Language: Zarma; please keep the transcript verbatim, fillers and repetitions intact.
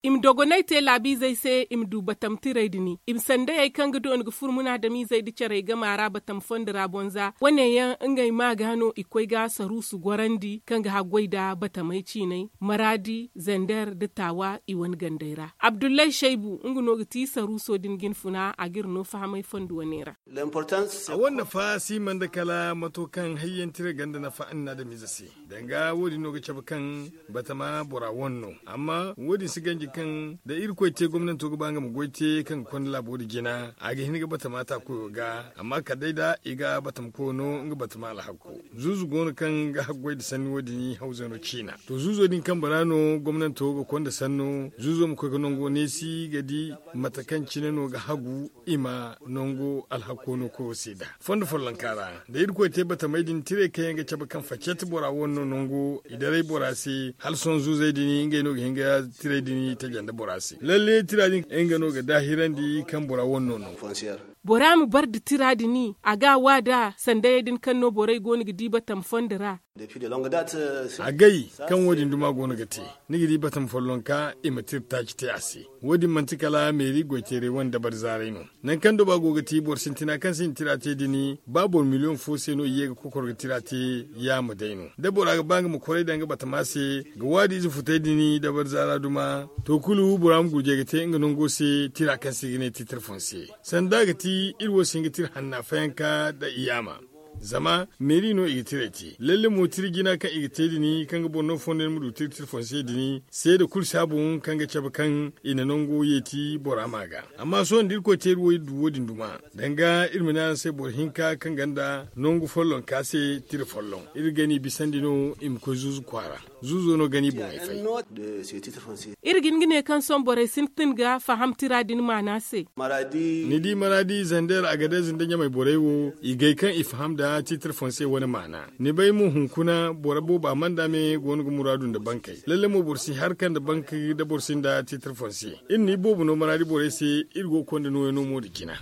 I ma dogonay te laabiizey se i ma du batam tirey din i ma sandayey kaŋ ga dooni ga furo munaadamiizey nda carey gama ra batam fondo ra bonza wane yaŋ ngey ma ga no i koy ga saruusu gorandi kaŋ ga haggoy nda batamey ciinay maraadi zander nda taawa i wane gandey ra abdullay shaybu nga no ga ti saruuso din jinfuna a ga iri no fahamay fondo wane ra. A wane nafa si man da kala mato kaŋ hayyanti iri ganda nafa annaadamiize se. Danga wo- din no ga cabe kaŋ batama bora wane no amma wo- din si ganji kaŋ da irkoy te gomnanto ga ba nga ma goy te kaŋ ga konda laabo din jina a ga hin ga batama ta koyo ga amma kala day da i ga batama koyo no nga batama alhakko. Zuuzu go no kaŋ ga haggoy nda sanni wo- din hawzano ciina. To zuuzo din kambe ra no gomnanto ga konda sanno zuuzo ma koy ga nango neesi ga di mate kaŋ cine no ga hagu i ma nango alhakko no koyo se da fondo follonka ra da irkoy te batamey din tirey kaŋ yaŋ ga cabe kaŋ facet bora wane no nango i daray bora se hala sohõ zuuzey din ngey no ga hin ga tirey din taja nda bora se lalle tira din nga no ga daahirandi kaŋ bora wane no nango. Bora ma bar nda tira din a ga a wa nd'a sandayey din kaŋ no borey go no ga di batam fondo ra. Agay kaŋ wo- din duma go no ga te ni ga di batam follonka i ma tira taaci te a se. Wo- din manti kala meeri goyteeray wane dabari zaaray no. Nangu kaŋ doba go ga ti boro sintina kaŋ sinda tira te din ba boro miliyoŋ fo se no i ye ga kokoro ga tira te. Yaama day no da bora ga ba nga ma koray daŋ ga batama se ga waadiize futay din dabari zaara duma to kulu bora ma gurjay ga te nga nango se tira kaŋ se i ga ne titre fonse. Sanda ga ti iri wo si hin ga tira hanna fayanka nda i yaama. Zama meeri no i ga tiray te lalle mo tira jina kaŋ i ga te din kaŋ ga boro no fondo yaŋ ma du tira tira fonse din seeda kulu si a boŋ kaŋ ga cabe kaŋ i na nango yeeti bora ma ga. Amma sohõ da irkoy te iri wo iri du wo- din duma danga iri ma ne araŋ se boro hinka kaŋ gonda nangu follonka se tira folloŋ iri ga ni bisandi no i ma koy zuuzu kwaara. Zuuzo no ga ni boŋey fay. Iri ga hin ga ne kaŋ sohõ borey sintin ga faham tira din maana se. Ni di maraadi zander agadez nda ɲamay borey wo i gay kaŋ i faham nda titre fonse wane maana. Ni bay mo hunkuna boro booba manda me go no ga muraadu nda bankey lalle mo boro si harka nda bank da boro sinda titre fonse. Iri no iboobo no maraadi borey se iri go ga konda nooyaŋ no mo nda jina.